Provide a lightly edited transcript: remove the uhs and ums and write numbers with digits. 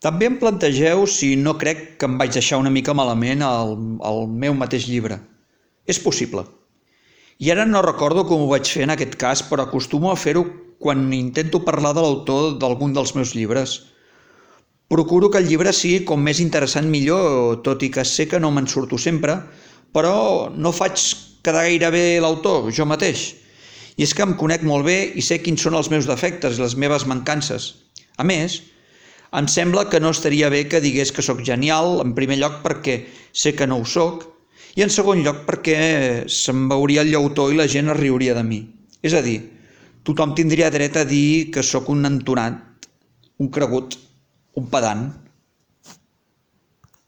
També em plantegeu si no crec que em vaig deixar una mica malament el meu mateix llibre. És possible. I ara no recordo com ho vaig fer en aquest cas, però acostumo a fer-ho quan intento parlar de l'autor d'algun dels meus llibres. Procuro que el llibre sigui com més interessant millor, tot i que sé que no me'n surto sempre, però no faig quedar gaire bé l'autor, jo mateix. I és que em conec molt bé i sé quins són els meus defectes i les meves mancances. A més, em sembla que no estaria bé que digués que sóc genial, en primer lloc perquè sé que no ho sóc, i en segon lloc perquè se'm veuria el llautó i la gent es riuria de mi. És a dir, tothom tindria dret a dir que sóc un entonat, un cregut, un pedant.